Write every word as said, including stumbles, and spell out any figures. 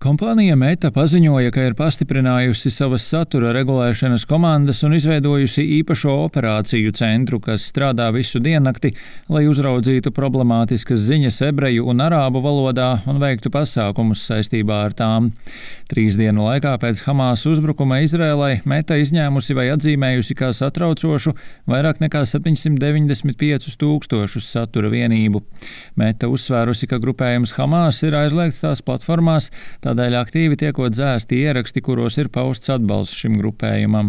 Kompānija Meta paziņoja, ka ir pastiprinājusi savas satura regulēšanas komandas un izveidojusi īpašo operāciju centru, kas strādā visu diennakti, lai uzraudzītu problemātiskas ziņas ebreju un arābu valodā un veiktu pasākumus saistībā ar tām. Trīs dienu laikā pēc Hamas uzbrukuma Izrēlai Meta izņēmusi vai atzīmējusi kā satraucošu vairāk nekā septiņsimt deviņdesmit piecus tūkstošus satura vienību. Meta uzsvērusi, ka grupējums Hamas ir aizliegts tās platformās, tādēļ aktīvi tiekot dzēsti ieraksti, kuros ir pausts atbalsts šim grupējumam.